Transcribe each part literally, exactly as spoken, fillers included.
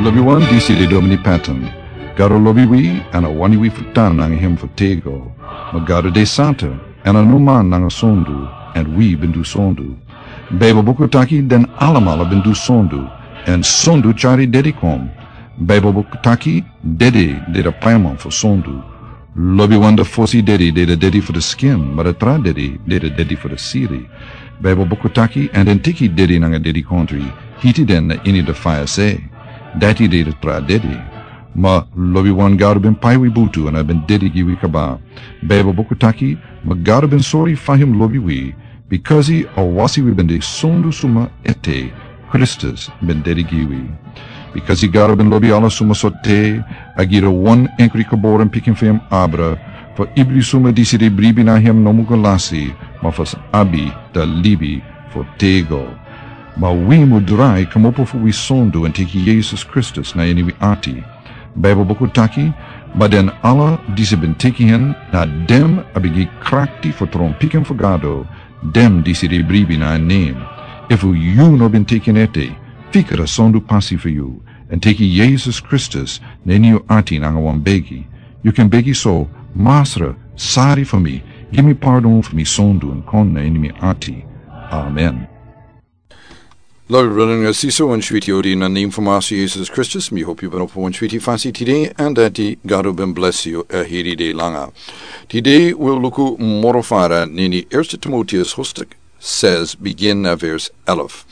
Lobi wan, disi de Domini Patton. Gado lobi wi, èn a wani wi fu tan nanga en fu tego. Ma Gado de santa, èn a no man nanga sondu, èn wi ben du sondu. Baibel buku taki den alamala ben du sondu, èn sondu tyari dedi kon. Baibel buku taki dedi de da paiman fu sondu. Lobi wan, da fosi dedi de da dedi fu da skin, ma da tra dedi de da dedi fu da siri. Baibel buku taki, èn den teki dedi nanga dedikontri, hiti den na ini da faya se. Dati de da tra dedi. Ma lobi wan, Gado ben pai wi butu èn a ben dedi gi wi kaba. Baibel buku taki, ma Gado ben sori fa hem lobi wi, bikasi a wasi wi ben de sondu suma ete, Kristus ben dedi gi wi. Bikasi Gado ben lobi ala suma so te, a gi da wan enkri geboren pikin fu hem abra, fu ibri suma disi de bribi na hem no mu go lasi, ma fu sa abi da libi fu tego. Ma wi mu drai kmopo fu wi sondu èn teki Yesus Kristus na ini wi ati. Baibel buku taki, ma den ala disi ben teki en, na den a ben gi krakti fu tron pikin fu Gado, den disi de bribi na en nen. Efu yu no ben teki en ete, fika da sondu pasi fu yu, èn teki Yesus Kristus na ini yu ati nanga wan begi. Yu kan begi so, Masra, sari fu mi, gi mi pardon fu mi sondu èn kon na ini mi ati. Amen. Lobi brada nanga sisa, wan switi odi na nen fu Masra Yesus Kristus, mi hopu yu ben opo wan switi fasi tide, èn dati Gado ben blesi yu a heri dei langa. Tide wi o luku moro fara na ini Eerste Timoteus hoofdstuk zes, begin na vers elf.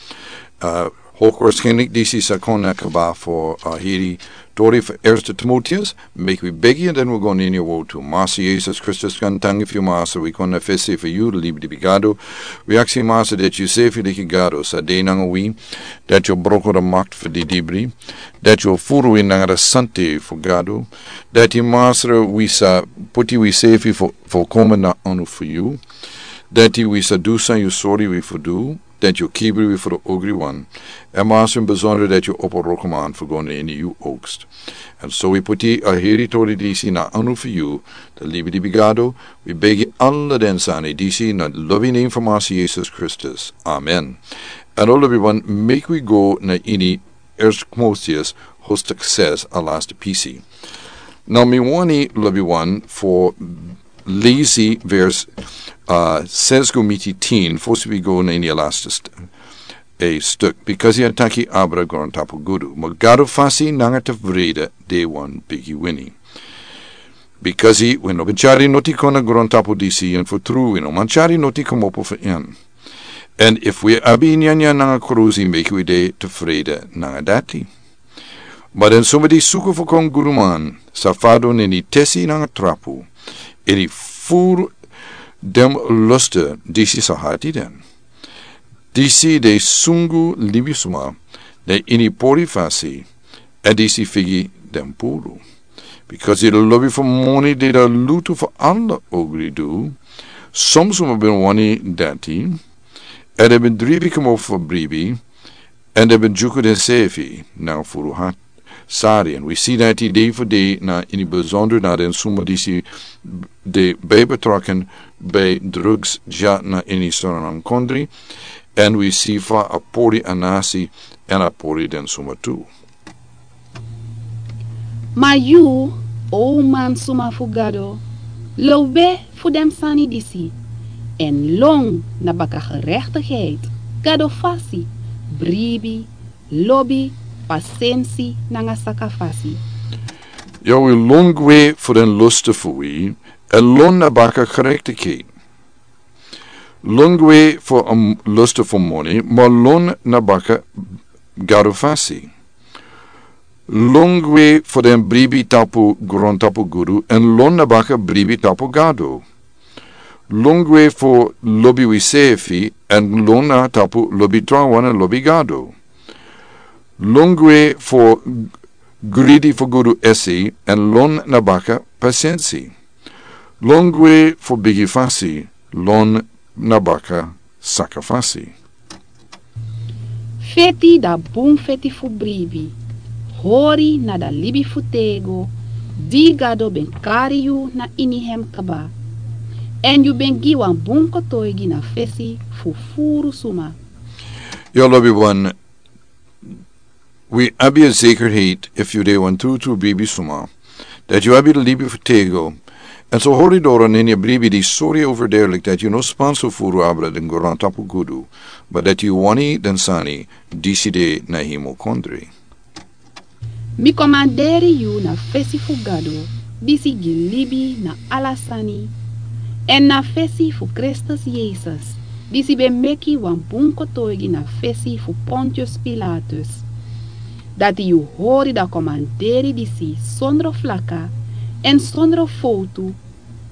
Uh, hoogwaarschijnlijk disi sa kon na kaba fu a heri tori fu Eerste Timoteus, meki wi begi èn den wi go na ini a wortu. Masra Yesus Kristus, kon tangi fu yu Masra, wi kon na fesi fu yu, libi di bi Gado. Wi aksi Masra dati yu sefi leki Gado sa de nanga wi, dati yu broko da makti fu di dibri, dati yu furu wi nanga da sante fu Gado, dati Masra wi sa poti wi sefi fu, fu komen na anu fu yu, dati wi sa du san yu sori wi fu du, dati yu kibri wi fu da ogri wan. Èn Masra, in besonder dati yu opo rokoman fu go na ini yu oogst. Èn so wi poti a heri tori disi na anu fu yu, da libi di bi Gado, wi begi ala den sani disi na lobi nen fu Masra Yesus Kristus. Amen. Èn o lobi wan, meki wi go na ini Eerste Timoteus hoofdstuk zes, a laatste pisi. Now mi wani lobi wan fu lesi vers, uh, zes go miti tien, fosi wi go na ini a laatste st-, a stuk. Bikasi a taki abra grontapu gudu. Ma Gado fasi nanga tevrede de wan bigi wini. Bikasi wi no ben tyari noti kon na grontapu disi, èn fu tru wi no man tyari noti kmopo fu en. Èn efu wi abi nyanyan nanga krusi, meki wi de tevrede nanga dati. Ma den suma di suku fu kon guduman sa fadon na ini tesi nanga trapu, èn furu den lustu disi sa hati den. Disi de sungu libisma na ini pori fasi, èn disi figi den puru. Bikasi a lobi fu moni de da lutu fu ala ogridu, son suma ben wani dati, èn den ben dribi kmopo fu bribi, èn den ben dyuku densefi nanga furu hati. Sari, èn wi si dati dei fu dei na ini besonder na den suma disi de bij betrokken bij drugs dya na ini Sranan kondre, èn wi si fa a pori a nasi èn a pori den suma tu. Ma yu, o mansma fu Gado, low gwe fu den sani disi, èn lon na baka gerechtigheid, Gado fasi, bribi, lobi, pasensi nanga sakafasi. Yu wi lon gwe fu den lustu fu wi, èn lon na baka gerechtigheid. Lon gwe fu a lustu fu moni, ma lon na baka Gado fasi. Lon gwe fu den bribi tapu grontapu gudu, èn lon na baka bribi tapu Gado. Lon gwe fu lobi wisefi, èn lon na tapu lobi trawan èn lobi Gado. Lon gwe fu gridi fu gudu esi, èn lon na baka pasensi. Lon gwe fu bigi fasi, lon na baka sakafasi. Feti da bun feti fu bribi. Hori na da libi fu tego, di Gado ben kari yu na ini hem kaba. Èn yu ben gi wan bun kotoigi na fesi fu furu suma. Yu lobi wan, Wi abi a zekerheid efu yu de wan trutru bribi suma, dati yu abi libi fu tego. Èn so hori doro na ini a bribi di sori overduidelijk dati yu no spanso furu abra den grontapu gudu, ma dati yu wani den sani disi de na himo kondri. Mi komanderi yu na fesi fu Gado, disi gi libi na ala sani, èn na fesi fu Kristus Yesus, disi ben meki wan bun kotoigi na fesi fu Pontius Pilatus, dati yu hori dan komanderi disi sondro flaka èn sondro fowtu,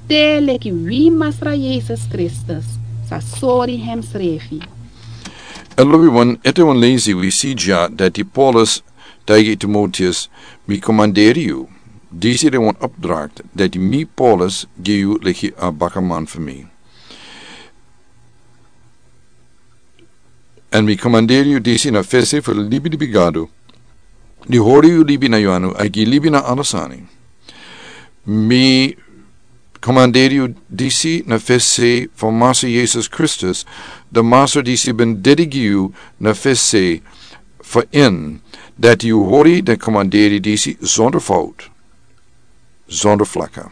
te leki wi Masra Yesus Kristus sa sori hemsrefi. Èn lobi wan, ete wan leisi wi si dya dati Paulus taigi Timoteus: Mi komanderi yu, disi de wan opdracht dati mi Paulus gi yu leki a bakaman fu mi. Èn mi komanderi yu disi na fesi fu libi libi Gado, di hori yu libi na yu anu, a gi libi na ala sani. Mi komanderi yu disi na fesi fu Masra Yesus Kristus, di Masra disi ben dedi gi yu na fesi fu en, dati yu hori den komanderi disi zonder fout, zonder flaka.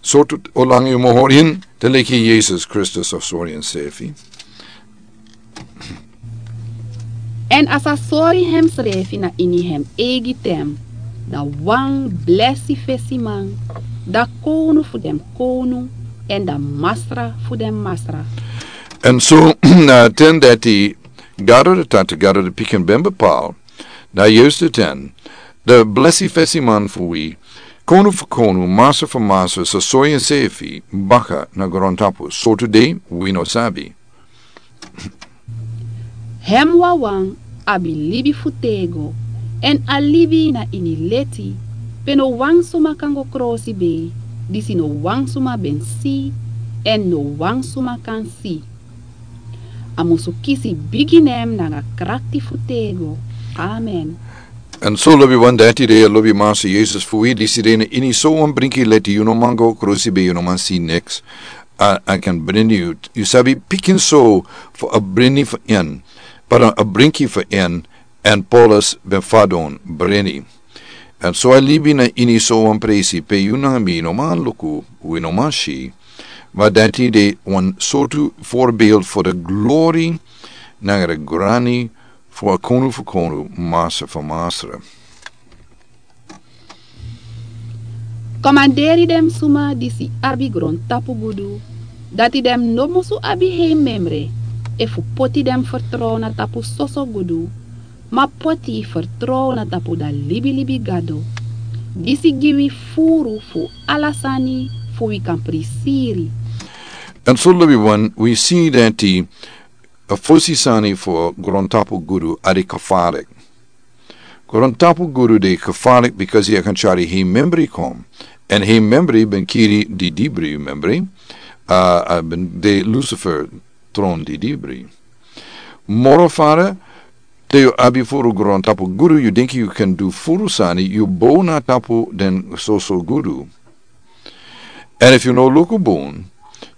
Sortu olanga yu mo hori en, te leki Yesus Kristus a sori ensefi. Èn a sa sori hemsrefi na ini hem eigi ten, dan wan blesi fesiman, dan kownu fu den kownu, èn dan masra fu den masra. Èn so na ten dati Gado de Tata, Gado de Pikin ben bepaal, na yustu ten, dan blesi fesiman fu wi, kownu fu kownu, masra fu masra, sa sori ensefi baka na grontapu. Sortu dei, wi no sabi. Hem wawan abi libi fu tego, èn a libi na ini leti, pe no wan suma kan go krosibei, disi no wan suma ben si, èn no wan suma kan si. A musu kisi bigi nen nanga krakti fu tego. Amen. Èn so lobi wan, dati de a lobi Masra Yesus fu wi, disi de na ini so wan brinki leti, yu no man go krosibei, yu no man si niks. A, a kan brini yu, yu sabi, pikin so fu a brini fu en, pardon, a brinki fu en, èn Paulus ben fadon brini. Èn so a libi na ini so wan presi pe yu nanga mi no man luku, wi no man si, ma dati de wan sortu voorbeeld fu de glori nanga de grani fu a kownu fu kownu, masra fu masra. Komanderi den suma disi abi grontapu gudu, dati den no musu abi hei memre efu poti den fertrow na tapu soso gudu, ma poti fertrow na tapu dan libilibi Gado, disi gi wi furu fu ala sani fu wi kan prisiri. Èn so lobi wan, wi si dati a fosi sani fu grontapu gudu a de gevaarlijk. Grontapu gudu de gevaarlijk, because yu kan tyari hei membri kon. Èn hei membri ben kiri di dibri membri, a, a ben de Lucifer tron di dibri. Moro fara, te yu abi furu grontapu gudu, yu denki yu kan du furu sani, yu bow na tapu den soso gudu. Èn efu yu no luku bun,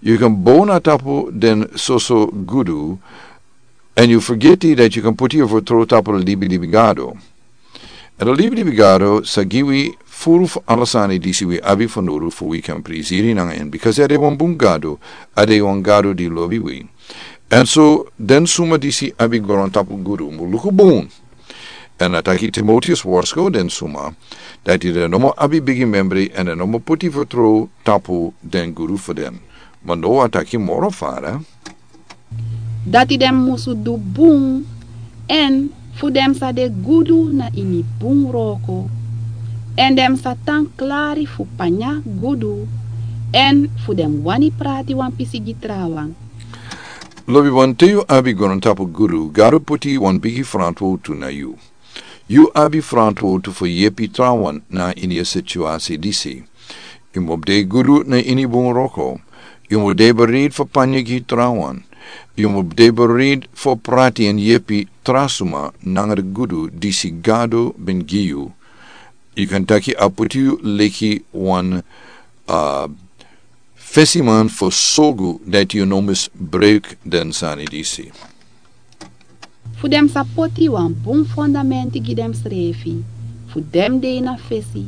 yu kan bow na tapu den soso gudu, èn yu fergeti dati yu kan poti yu fertrow tapu den libilibi Gado. Èn den libilibi Gado sa gi wi furu fu ala sani disi wi abi fanowdu fu wi kan prisiri nanga en, because a de wan bun Gado, a de wan Gado di lobi wi. Èn so den suma disi abi grontapu gudu mu luku bun. Èn a taki Timoteus, warsko den suma dati den no mu abi bigi membri èn den no mu poti fertrow tapu den gudu fu den. Ma now a taki moro fara. Dati den musu du bun, èn fu den sa de gudu na ini bun wroko, èn den sa tan klari fu panya gudu, èn fu den wani prati wan pisi gi trawan. Lobi wan, te yu abi grontapu gudu, Gado poti wan bigi frantwowtu na yu. Yu abi frantwowtu fu yepi trawan na ini a situasi disi. Yu mu de gudu na ini bun wroko. Yu mu de bereid fu panya gi trawan. Yu mu de bereid fu prati èn yepi tra suma nanga den gudu disi Gado ben gi yu. Yu kan taki a poti yu leki wan, a, fesiman fu sorgu dati yu no misbruik den sani disi. fu den sa poti wan bun fondamenti gi densrefi fu den dei na fesi,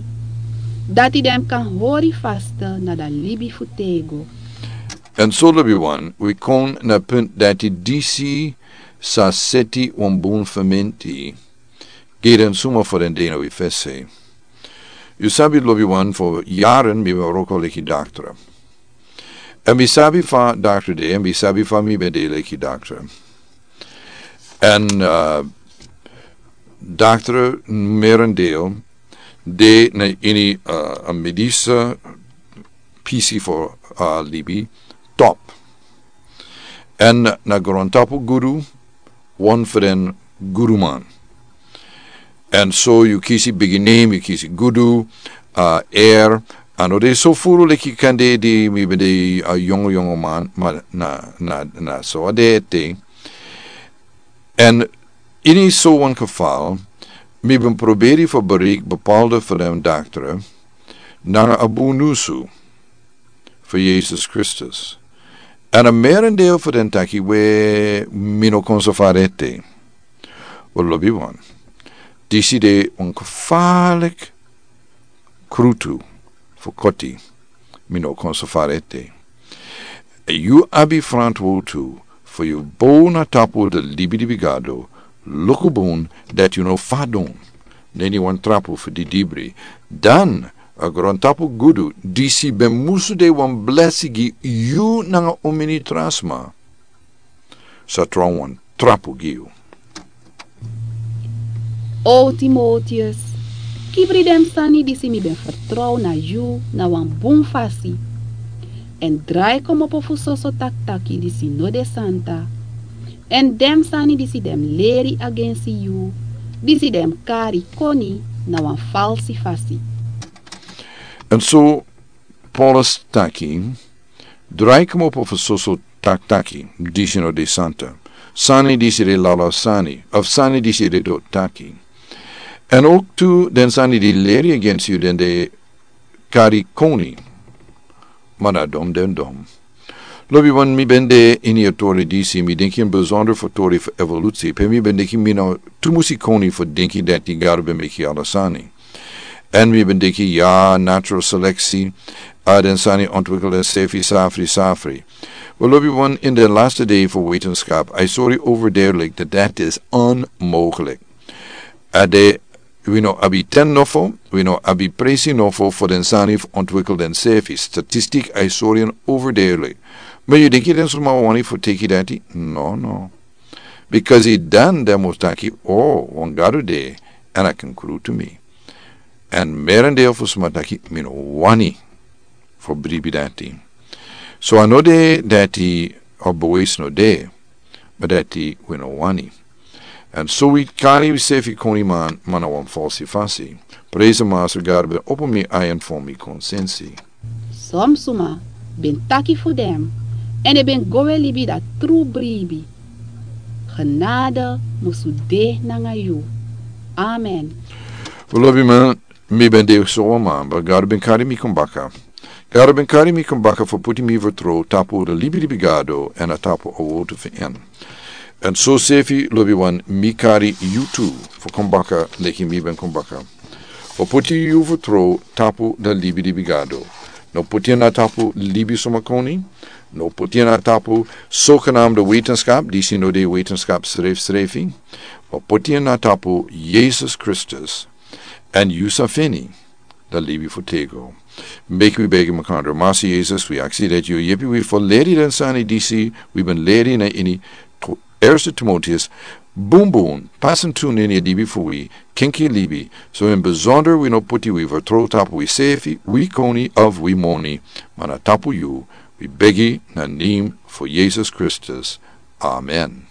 dati den kan hori faste na dan libi fu tego. En so lobi wan wi kon na punt dati disi sa seti wan bun fondamenti gi den suma fu den dei na wi fesi. Yu sabi lobi wan fu yaren mi ben wroko leki daktra. En mi sabi fa daktra de, en mi sabi fa mi ben de leki daktra. En daktra merendel de na ini a medisa pisi fu a libi top. En na grontapu gudu wan fu den guduman. En so yu kisi bigi nem, yu kisi gudu, a er. A no de so furu leki kande di mi ben de a yongo yongo man, ma na na na so a de ete. En ini so wan kefal mi ben proberi fu bereik bepalde fu den daktra nanga a bunusu fu yesus kristus. En a merendel fu den taki we mi no kon so fari ete. We lobi wan, disi de wan kefalik krutu fu koti. Mi no kon so fari ete. Yu abi frantwotu fu yu bow na tapu de libi libi gado. Luku bun dati yu no fadon neni wan trapu fu didibri. Dan a grontapu gudu disi ben musu de wan blesi gi yu nanga un mini tra sma. Sa tron wan trapu gi yu. O timotius, kibri den sani disi mi ben fertrow na yu na wan bun fasi. Èn drai komopo fu soso taktaki disi no de santa. Èn den sani disi den mus leri agensi yu, disi den mus kari koni na wan falsi fasi. Èn so paulus taki, drai komopo fu soso taktaki disi no de santa, sani disi de lala sani of sani disi de doti taki. Èn oktu den sani di leri agensi yu den de kari koni. Ma na dom den dom. Lobi wan mi ben de ini a tori disi mi denki en besonder fu tori fu evolusi pe mi ben denki mi no tumusi koni fu denki dati gado ben meki ala sani. Èn mi ben denki ya natural seleksi a den sani ontwikkel den sefi safri safri. We lobi wan in den laste dei fu wetenskap a sori over derlik dat dat is onmoglik. A de wi no abi ten nofo, wi no abi presi nofo fu den sani fu ontwikkel den sefi statistik a sori en over derlik. Ma yu denki den suma wani fu teki dati? No no. Bikasi dan den mus taki o wan gado de. Èn a kan krutu mi. Èn merendel fu suma taki mi no wani fu bribi dati. So a no de dati a bewesi no de. Ma dati wi no wani. Èn so wi kari wi sefi koni man man a wan falsi fasi. Presi master gado ben opo mi ayan fu mi konsensi. Som suma ben taki fu den èn den ben go we libi dati tru bribi. Genade musu de nanga yu. Amen. Fu lobi man mi ben de so wan man ma gado ben kari mi kon baka. Gado ben kari mi kon baka fu puti mi fertrow tapu de libi libi gado èn a tapu a wotu fu en. Èn so sefi lobi wan mi kari yu tu fu kon baka leki mi ben kon baka. Fu puti yu fertrow tapu de libi libi gado. No puti en na tapu libi suma koni. No puti en na tapu sokenamde wetenskap disi no de wetenskap srefi srefi. Fu puti en na tapu yesus kristus. Èn yu sa feni dan libi fu tego. Meki wi begi makandra masi yesus wi aksi dati yu yepi wi fu leri den sani disi wi ben leri na ini erste timotius. Bunbun pasin tu neni a libi fu wi kenki libi. So in besonder wi no puti wi fu tro tapu wi sefi wi koni of wi moni. Ma na tapu yu wi begi na nim fu yesus kristus. Amen.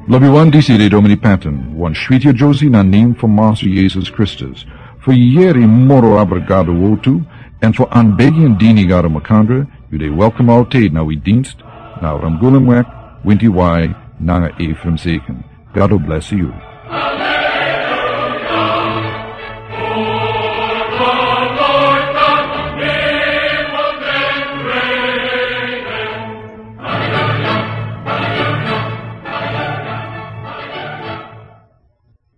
Lobi wan disi de domini patin wan switi a josi na nim fu masu yesus kristus. Fu yeri moro abra gado wotu èn fu an begi an dini gado makandra. Yu de welkom altid na wi dinst na ramgulum wek winti wai nanga efrem seken. Gado blesi yu.